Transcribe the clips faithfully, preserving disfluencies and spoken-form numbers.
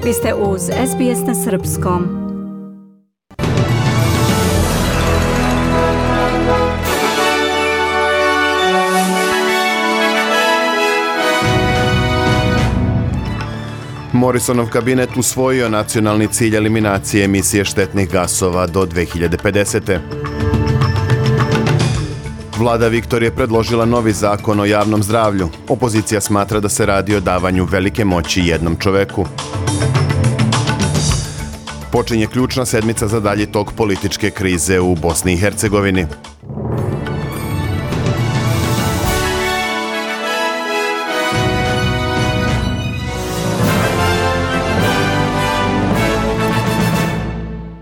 Vi ste uz S B S na srpskom. Morrisonov kabinet usvojio nacionalni cilj eliminacije emisije štetnih gasova do dve hiljade pedesete. Vlada Viktorije predložila novi zakon o javnom zdravlju. Opozicija smatra da se radi o davanju velike moći jednom čoveku. Počinje ključna sedmica za dalji tok političke krize u Bosni i Hercegovini.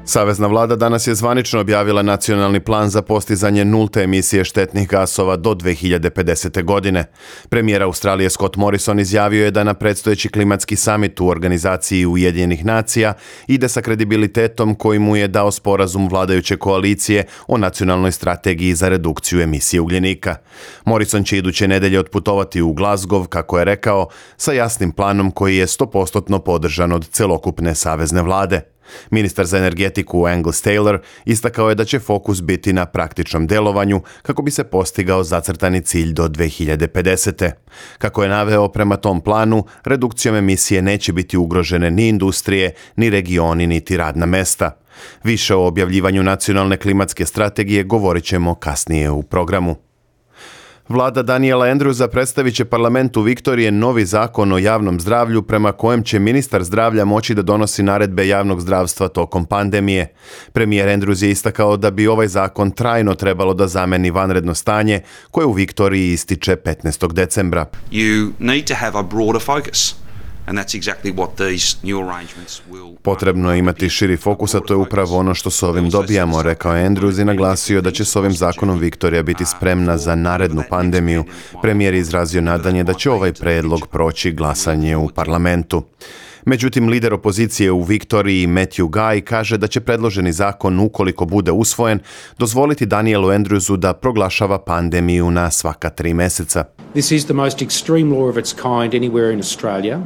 Savezna vlada danas je zvanično objavila nacionalni plan za postizanje nulte emisije štetnih gasova do dve hiljade pedesete. godine. Premijer Australije Scott Morrison izjavio je da na predstojeći klimatski samit u organizaciji Ujedinjenih nacija ide sa kredibilitetom koji mu je dao sporazum vladajuće koalicije o nacionalnoj strategiji za redukciju emisije ugljenika. Morrison će iduće nedelje otputovati u Glasgow, kako je rekao, sa jasnim planom koji je sto posto podržan od celokupne savezne vlade. Ministar za energetiku Angus Taylor istakao je da će fokus biti na praktičnom delovanju kako bi se postigao zacrtani cilj do dve hiljade pedesete. Kako je naveo, prema tom planu, redukcijom emisije neće biti ugrožene ni industrije, ni regioni, niti radna mesta. Više o objavljivanju nacionalne klimatske strategije govorit ćemo kasnije u programu. Vlada Daniela Andrewsa predstavit će parlamentu Viktorije novi zakon o javnom zdravlju prema kojem će ministar zdravlja moći da donosi naredbe javnog zdravstva tokom pandemije. Premijer Andrews je istakao da bi ovaj zakon trajno trebalo da zameni vanredno stanje koje u Viktoriji ističe petnaestog decembra. You need to have a broader focus. And that's exactly what these new arrangements will... Potrebno je imati širi fokus, a to je upravo ono što s ovim dobijamo, rekao je Andrews i naglasio da će s ovim zakonom Viktorija biti spremna za narednu pandemiju. Premijer je izrazio nadanje da će ovaj predlog proći glasanje u parlamentu. Međutim, lider opozicije u Viktoriji Matthew Guy kaže da će predloženi zakon, ukoliko bude usvojen, dozvoliti Danielu Andrewsu da proglašava pandemiju na svaka tri meseca. This is the most extreme law of its kind anywhere in Australia.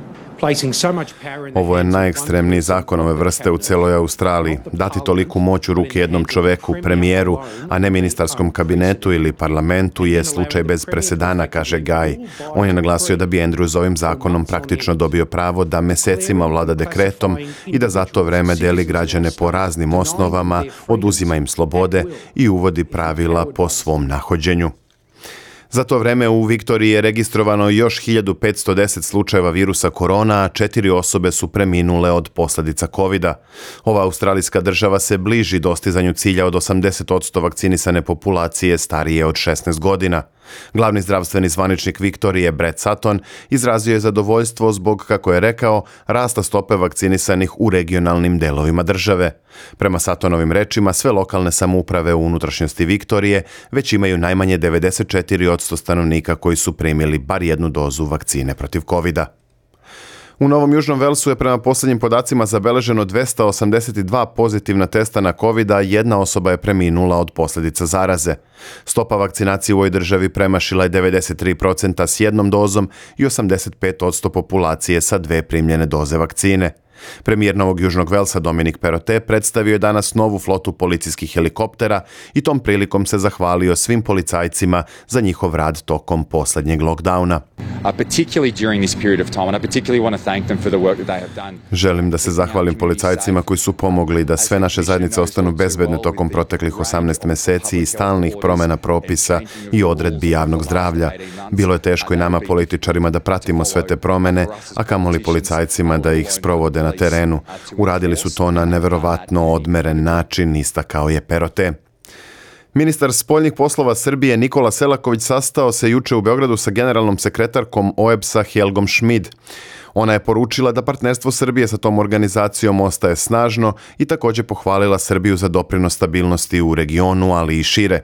Ovo je najekstremniji zakon ove vrste u celoj Australiji. Dati toliku moć u ruke jednom čoveku, premijeru, a ne ministarskom kabinetu ili parlamentu je slučaj bez presedana, kaže Guy. On je naglasio da bi Andrews ovim zakonom praktično dobio pravo da mesecima vlada dekretom i da za to vreme deli građane po raznim osnovama, oduzima im slobode i uvodi pravila po svom nahođenju. Za to vreme u Viktoriji je registrovano još hiljadu petsto deset slučajeva virusa korona, a četiri osobe su preminule od posljedica kovida. Ova australijska država se bliži dostizanju cilja od osamdeset posto vakcinisane populacije starije od šesnaest godina. Glavni zdravstveni zvaničnik Viktorije, Brett Sutton, izrazio je zadovoljstvo zbog, kako je rekao, rasta stope vakcinisanih u regionalnim delovima države. Prema Suttonovim rečima, sve lokalne samouprave u unutrašnjosti Viktorije već imaju najmanje devedeset četiri posto stanovnika koji su primili bar jednu dozu vakcine protiv kovida. U Novom Južnom Velsu je prema posljednjim podacima zabeleženo dvesta osamdeset dva pozitivna testa na COVID, a jedna osoba je preminula od posljedica zaraze. Stopa vakcinacije u ovoj državi premašila je devedeset tri posto s jednom dozom i osamdeset pet posto populacije sa dve primljene doze vakcine. Premijer Novog Južnog Velsa Dominic Perrottet predstavio je danas novu flotu policijskih helikoptera i tom prilikom se zahvalio svim policajcima za njihov rad tokom posljednjeg lockdowna. Želim da se zahvalim policajcima koji su pomogli da sve naše zajednice ostanu bezbedne tokom proteklih osamnaest meseci i stalnih promjena propisa i odredbi javnog zdravlja. Bilo je teško i nama političarima da pratimo sve te promjene, a kamoli policajcima da ih sprovode na terenu. Uradili su to na neverovatno odmeren način, istakao je Perrottet. Ministar spoljnih poslova Srbije Nikola Selaković sastao se juče u Beogradu sa generalnom sekretarkom O E B S-a Helgom Schmid. Ona je poručila da partnerstvo Srbije sa tom organizacijom ostaje snažno i također pohvalila Srbiju za doprinos stabilnosti u regionu, ali i šire.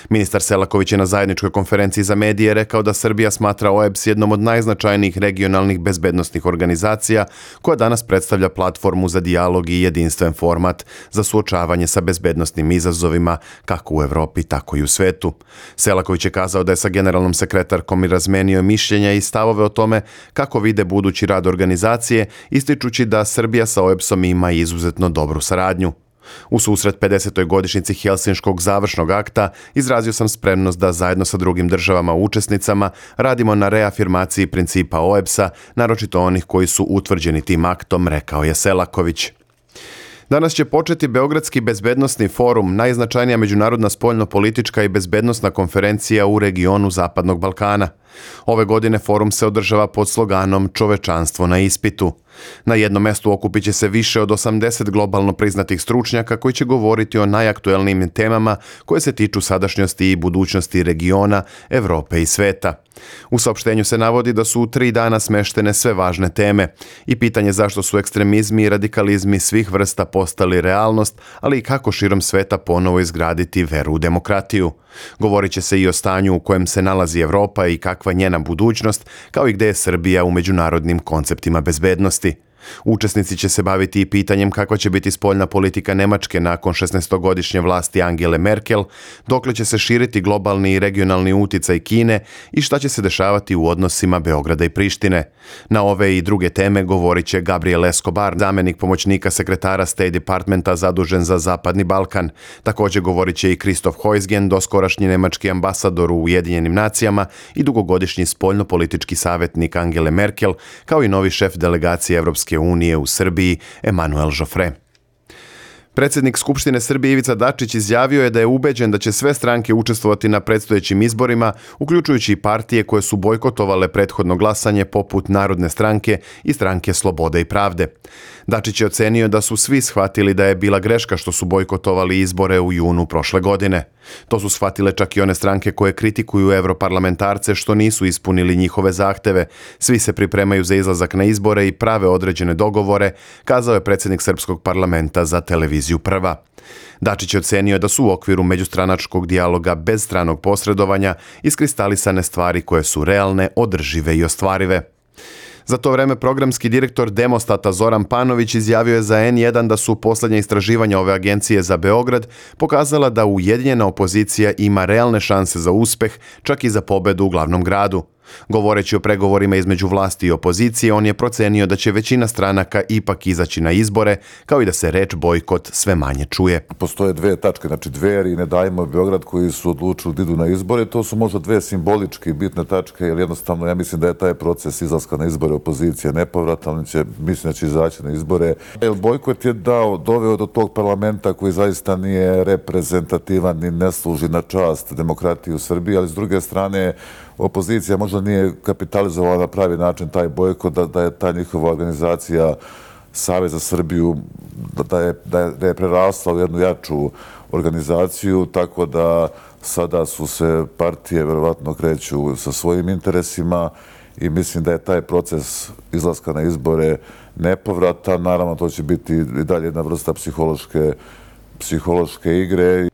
Ministar Selaković je na zajedničkoj konferenciji za medije rekao da Srbija smatra O E B S jednom od najznačajnijih regionalnih bezbednosnih organizacija koja danas predstavlja platformu za dijalog i jedinstven format za suočavanje sa bezbednosnim izazovima kako u Evropi, tako i u svetu. Selaković je kazao da je sa generalnom sekretarkom i razmenio mišljenja i stavove o tome kako vide budući rad organizacije, ističući da Srbija sa O E B S-om ima izuzetno dobru saradnju. U susret pedesetoj godišnjici Helsinškog završnog akta izrazio sam spremnost da zajedno sa drugim državama učesnicama radimo na reafirmaciji principa O E B S-a, naročito onih koji su utvrđeni tim aktom, rekao je Selaković. Danas će početi Beogradski bezbednosni forum, najznačajnija međunarodna spoljno-politička i bezbednosna konferencija u regionu Zapadnog Balkana. Ove godine forum se održava pod sloganom Čovečanstvo na ispitu. Na jednom mestu okupit će se više od osamdeset globalno priznatih stručnjaka koji će govoriti o najaktuelnijim temama koje se tiču sadašnjosti i budućnosti regiona, Evrope i sveta. U saopštenju se navodi da su u tri dana smeštene sve važne teme i pitanje zašto su ekstremizmi i radikalizmi svih vrsta postali realnost, ali i kako širom sveta ponovo izgraditi veru u demokratiju. Govorit će se i o stanju u kojem se nalazi Evropa i kakva njena budućnost, kao i gde je Srbija u međunarodnim konceptima bezbednosti. Učesnici će se baviti i pitanjem kakva će biti spoljna politika Nemačke nakon šesnaestogodišnje vlasti Angele Merkel, dokle će se širiti globalni i regionalni uticaj Kine i šta će se dešavati u odnosima Beograda i Prištine. Na ove i druge teme govorit će Gabriel Escobar, zamenik pomoćnika sekretara State Departmenta zadužen za Zapadni Balkan. Također govorit će i Christoph Heusgen, doskorašnji nemački ambasador u Ujedinjenim nacijama i dugogodišnji spoljno-politički savjetnik Angele Merkel, kao i novi šef delegacije Evropske unije u Srbiji, Emanuel Joffre. Predsjednik Skupštine Srbije Ivica Dačić izjavio je da je ubeđen da će sve stranke učestvovati na predstojećim izborima, uključujući i partije koje su bojkotovale prethodno glasanje poput Narodne stranke i Stranke slobode i pravde. Dačić je ocenio da su svi shvatili da je bila greška što su bojkotovali izbore u junu prošle godine. To su shvatile čak i one stranke koje kritikuju europarlamentarce što nisu ispunili njihove zahteve. Svi se pripremaju za izlazak na izbore i prave određene dogovore, kazao je predsjednik Srpskog parlamenta za televiziju Prva. Dačić je ocenio da su u okviru međustranačkog dijaloga bez stranog posredovanja iskristalisane stvari koje su realne, održive i ostvarive. Za to vreme programski direktor Demostata Zoran Panović izjavio je za en jedan da su posljednja istraživanja ove agencije za Beograd pokazala da ujedinjena opozicija ima realne šanse za uspeh, čak i za pobedu u glavnom gradu. Govoreći o pregovorima između vlasti i opozicije, on je procenio da će većina stranaka ipak izaći na izbore, kao i da se reč bojkot sve manje čuje. Postoje dve tačke, znači Dveri i Ne dajmo Beograd koji su odlučili da idu na izbore. To su možda dve simbolički bitne tačke, jer jednostavno ja mislim da je taj proces izlaska na izbore opozicije nepovratan, će, mislim da će izaći na izbore. Jer bojkot je dao, doveo do tog parlamenta koji zaista nije reprezentativan i ne služi na čast demokratiji u Srbiji, ali s druge strane opozicija možda nije kapitalizovala na pravi način taj bojkot, da, da je ta njihova organizacija Savez za Srbiju, da je, da je, da je prerasla u jednu jaču organizaciju, tako da sada su se partije verovatno kreću sa svojim interesima i mislim da je taj proces izlaska na izbore nepovratan. Naravno, to će biti i dalje jedna vrsta psihološke, psihološke igre.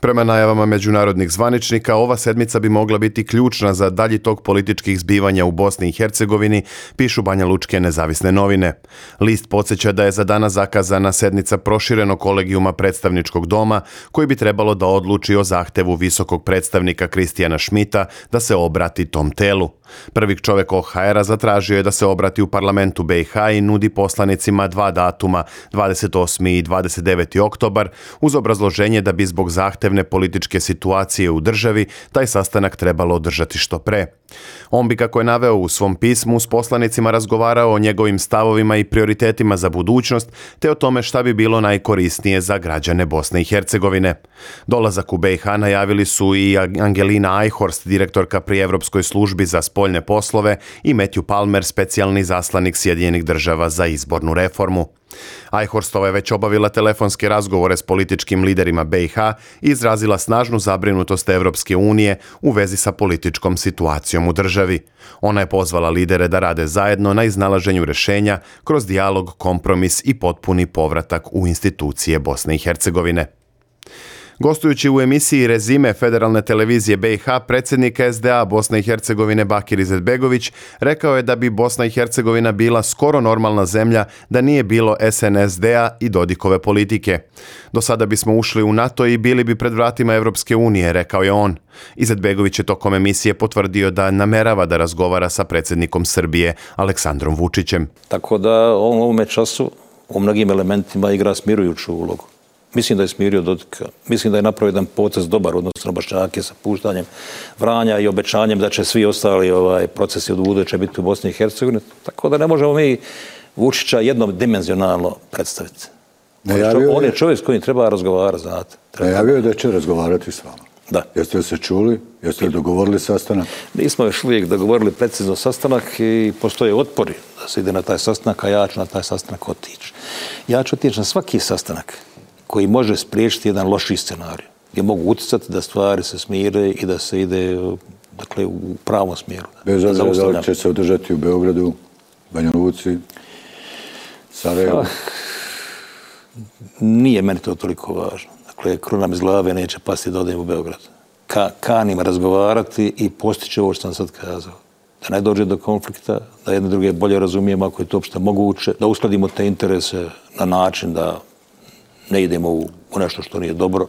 Prema najavama međunarodnih zvaničnika, ova sedmica bi mogla biti ključna za dalji tok političkih zbivanja u Bosni i Hercegovini, pišu banjalučke nezavisne novine. List podsjeća da je za danas zakazana sednica proširenog kolegijuma predstavničkog doma, koji bi trebalo da odluči o zahtevu visokog predstavnika Kristijana Šmita da se obrati tom telu. Prvi čovjek O H R-a zatražio je da se obrati u parlamentu B i H i nudi poslanicima dva datuma, dvadeset osmi i dvadeset deveti oktobar, uz obrazloženje da bi zbog zahtevne političke situacije u državi taj sastanak trebalo održati što pre. On bi, kako je naveo u svom pismu, s poslanicima razgovarao o njegovim stavovima i prioritetima za budućnost, te o tome šta bi bilo najkorisnije za građane Bosne i Hercegovine. Dolazak u B i H najavili su i Angelina Eichhorst, direktorka pri Evropskoj službi za spoljne poslove, i Matthew Palmer, specijalni zaslanik Sjedinjenih država za izbornu reformu. Eichhorstova je već obavila telefonske razgovore s političkim liderima B i H i izrazila snažnu zabrinutost Evropske unije u vezi sa političkom situacijom u državi. Ona je pozvala lidere da rade zajedno na iznalaženju rješenja kroz dijalog, kompromis i potpuni povratak u institucije Bosne i Hercegovine. Gostujući u emisiji Rezime Federalne televizije B i H, predsjednik S D A Bosne i Hercegovine Bakir Izetbegović rekao je da bi Bosna i Hercegovina bila skoro normalna zemlja da nije bilo S N S D-a i Dodikove politike. Do sada bismo ušli u NATO i bili bi pred vratima Evropske unije, rekao je on. Izetbegović je tokom emisije potvrdio da namerava da razgovara sa predsjednikom Srbije Aleksandrom Vučićem. Tako da on u ovome času u mnogim elementima igra smirujuću ulogu. Mislim da je smirio Dodika. Mislim da je napravio jedan potez dobar odnosno Bošnjake sa puštanjem Vranja i obećanjem da će svi ostali ovaj, procesi od buduće biti u Bosni i Hercegovini. Tako da ne možemo mi Vučića jednodimenzionalno predstaviti. Najavio on je je čovjek s kojim treba razgovarati, znate. Treba... Najavio je da će razgovarati s vama. Da. Jeste li se čuli? Jeste li dogovorili sastanak? Nismo još uvijek dogovorili precizno sastanak i postoje otpori da se ide na taj sastanak, a ja ću na taj sastanak otići. Ja ću otići na svaki sastanak koji može spriječiti jedan loši scenarij, gdje mogu utjecati da stvari se smire i da se ide dakle, u pravom smjeru. Bez obzira da li će se održati u Beogradu, Banja Luci, Sarajevu? Ah, nije meni to toliko važno. Dakle, kruna mi iz glave neće pasti da odem u Beograd. Ka, kanim razgovarati i postići ovo što sam sad kazao. Da ne dođe do konflikta, da jedne druge bolje razumijemo ako je to uopšte moguće, da uskladimo te interese na način da ne idemo u, u nešto što nije dobro.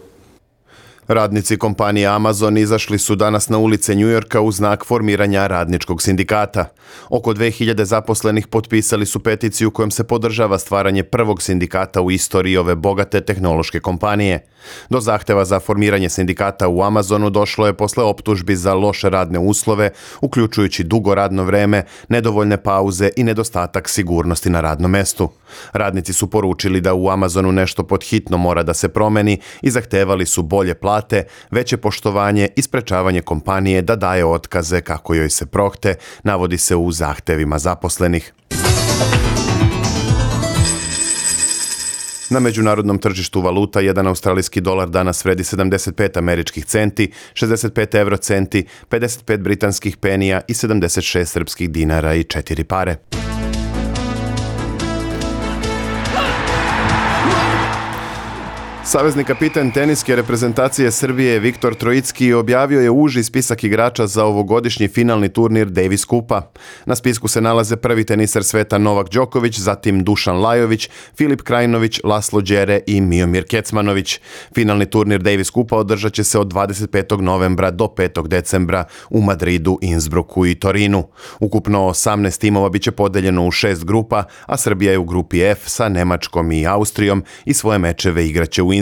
Radnici kompanije Amazon izašli su danas na ulice Njujorka u znak formiranja radničkog sindikata. Oko dve hiljade zaposlenih potpisali su peticiju kojom se podržava stvaranje prvog sindikata u istoriji ove bogate tehnološke kompanije. Do zahteva za formiranje sindikata u Amazonu došlo je posle optužbi za loše radne uslove, uključujući dugo radno vreme, nedovoljne pauze i nedostatak sigurnosti na radnom mestu. Radnici su poručili da u Amazonu nešto pod hitno mora da se promeni i zahtevali su bolje plate, veće poštovanje i sprečavanje kompanije da daje otkaze kako joj se prohte, navodi se u zahtevima zaposlenih. Na međunarodnom tržištu valuta jedan australijski dolar danas vredi sedamdeset pet američkih centi, šezdeset pet euro centi, pedeset pet britanskih penija i sedamdeset šest srpskih dinara i četiri pare. Savezni kapitan teniske reprezentacije Srbije Viktor Trojicki objavio je uži spisak igrača za ovogodišnji finalni turnir Davis Kupa. Na spisku se nalaze prvi teniser sveta Novak Đoković, zatim Dušan Lajović, Filip Krajinović, Laslo Đere i Miomir Kecmanović. Finalni turnir Davis Kupa održat će se od dvadeset petog novembra do petog decembra u Madridu, Innsbrucku i Torinu. Ukupno osamnaest timova biće podeljeno u šest grupa, a Srbija je u grupi F sa Nemačkom i Austrijom i svoje mečeve igraće u Innsbrucku.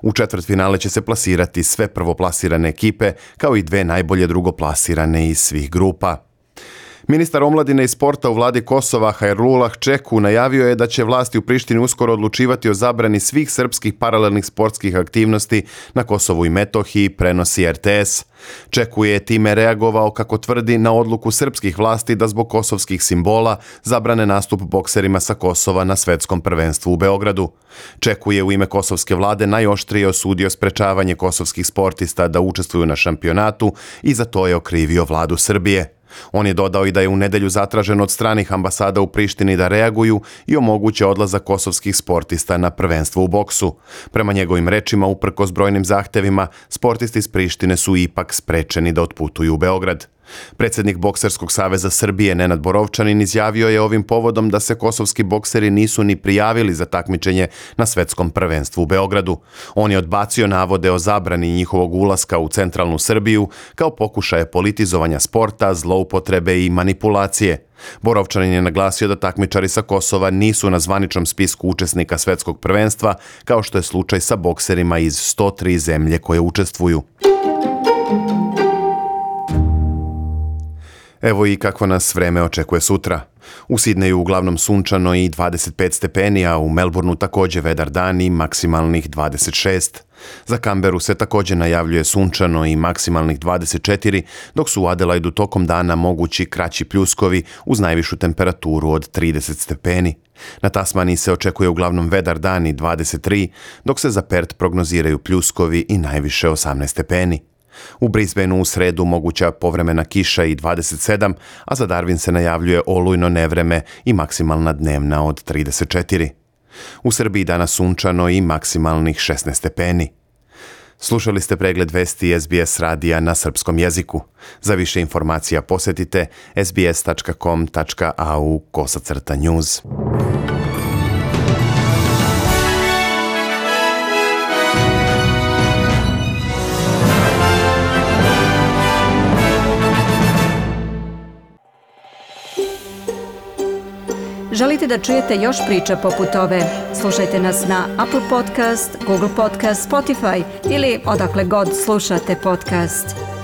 U četvrtfinale će se plasirati sve prvoplasirane ekipe, kao i dve najbolje drugoplasirane iz svih grupa. Ministar omladine i sporta u vladi Kosova Hajrullah Čeku najavio je da će vlasti u Prištini uskoro odlučivati o zabrani svih srpskih paralelnih sportskih aktivnosti na Kosovu i Metohiji, prenosi R T S. Čeku je time reagovao, kako tvrdi, na odluku srpskih vlasti da zbog kosovskih simbola zabrane nastup bokserima sa Kosova na svetskom prvenstvu u Beogradu. Čeku je u ime kosovske vlade najoštrije osudio sprečavanje kosovskih sportista da učestvuju na šampionatu i za to je okrivio vladu Srbije. On je dodao i da je u nedelju zatražen od stranih ambasada u Prištini da reaguju i omoguće odlazak kosovskih sportista na prvenstvo u boksu. Prema njegovim rečima, uprkos brojnim zahtevima, sportisti iz Prištine su ipak sprečeni da otputuju u Beograd. Predsjednik Bokserskog saveza Srbije Nenad Borovčanin izjavio je ovim povodom da se kosovski bokseri nisu ni prijavili za takmičenje na svetskom prvenstvu u Beogradu. On je odbacio navode o zabrani njihovog ulaska u centralnu Srbiju kao pokušaje politizovanja sporta, zloupotrebe i manipulacije. Borovčanin je naglasio da takmičari sa Kosova nisu na zvaničnom spisku učesnika svetskog prvenstva, kao što je slučaj sa bokserima iz sto tri zemlje koje učestvuju. Evo i kako nas vreme očekuje sutra. U Sidneju uglavnom sunčano i dvadeset pet stepeni, a u Melbourneu također vedar dan i maksimalnih dvadeset šest. Za Canberu se također najavljuje sunčano i maksimalnih dvadeset četiri, dok su u Adelaidu tokom dana mogući kraći pljuskovi uz najvišu temperaturu od trideset stepeni. Na Tasmaniji se očekuje uglavnom vedar dan i dvadeset tri, dok se za Perth prognoziraju pljuskovi i najviše osamnaest stepeni. U Brisbaneu u sredu moguća povremena kiša i dvadeset sedam, a za Darwin se najavljuje olujno nevreme i maksimalna dnevna od trideset četiri. U Srbiji danas sunčano i maksimalnih šesnaest stepeni. Slušali ste pregled vesti S B S radija na srpskom jeziku. Za više informacija posjetite sbs tačka com tačka a u kosacrta news. Želite da čujete još priča poput ove? Slušajte nas na Apple Podcast, Google Podcast, Spotify ili odakle god slušate podcast.